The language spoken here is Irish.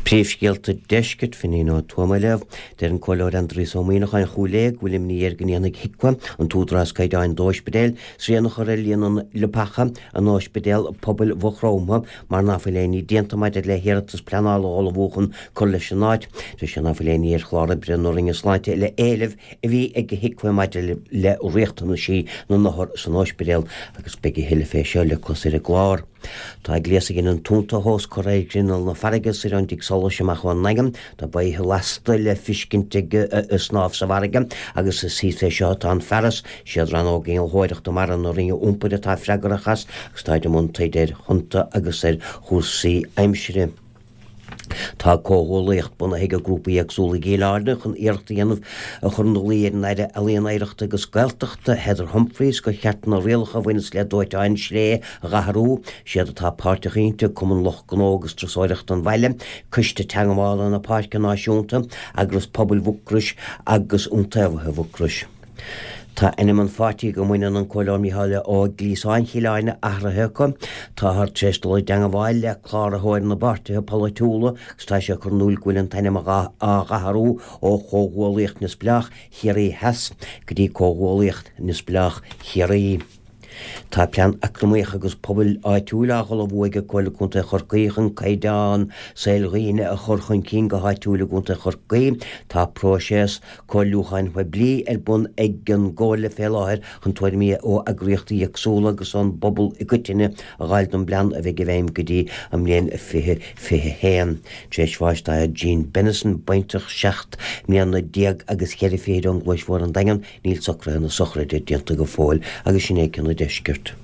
Príomhscéalta Deiscirt, Finín Ó Tuama á léamh. Deir an Comhairleoir Aindrias Ó Muíneacháin Chúil Aodha go bhfuil imní air go ndéanfaidh HIQA, an t-údarás caighdeáin d'óispidéil, srian a chur ar líon na leapacha in Ospidéal Pobail Mhaigh Chromtha mar ná fuil aon ní déanta maidir le hiarratas pleanála a ullmhú chun cur leis an áit. Deir sé ná fuil aon ní ar chlár oibre na Roinne Sláinte le éilimh a bhí ag HIQA maidir le riachtanaisí na n-othar san ospidéal agus beidh a thuilleadh fé seo le clos ar an gclár. Tá gléas a ghineann tonnta a thomhas curtha ar ghrinneall na farraige soir ón dTigh Solais amach ón nDaingean. Tá baotha lasta le fiscint ag snámh sa bhfarraige agus is thíos fé seo atá an fearas. Siad Rannóg Innealtóireachta Mara na Roinne Iompair atá freagrach as agus táid i mbun taighde ar thonnta agus ar chúrsaí aimsire. Tá comhghuallaíocht bunaithe ag grúpaí éagsúla i gCill Airne chun iarracht a dhéanamh a chur ina luí ar an Aire Ealaíon, Oidhreachta agus Gaeltachta, Heather Humphreys, gur cheart na rialacha a bhaineas le dóiteáin sré a dh'athrú. Siad atá páirteach inti, Cumann Lucht Gnó agus Turasóireachta an bhaile, Coiste Teagmhála na Páirce Náisiúnta, Eagras Pobail Mhucrois agus Iontaobhaithe Mhucrois. Tá ainm an pháirtí go mbaineann an Comhairleoir Mícheál Ó Gliasáin Chill Airne athraithe acu. Táthar tar éis dul i dteangmháil le Cláraitheoir na bPáirtithe Polaitiúla agus tá sé ag cur in iúl go bhfuil an t-ainm á dh'athrú ó Chomhghuallaíocht Neamhspleách Chiarraí Theas go dtí Comhghuallaíocht Neamhspleách Chiarraí. Tá Plean Eacnamaíoch agus Pobail Áitiúil á dh'ullmhú ag Comhairle Contae Chorcaí chun caighdeán saoil dhaoine a chur chun cinn go háitiúil i gContae Chorcaí. Tá próiseas comhairliúcháin phoiblí ar bun ag an gComhairle fé láthair chun tuairimí ó eagraíochtaí éagsúla agus ón bpobal i gcoitinne a dh'fháil don bplean a bheidh i bhfeidhm go dtí an mbliain 2021. Tar éis bháis tá Jean Bennison, baintreach 17 mbliana agus cheithre fichid ón gCluais Mhór an Daingean, Níl socruithe na sochraide déanta go fóill agus sin é cionn an deiscirt.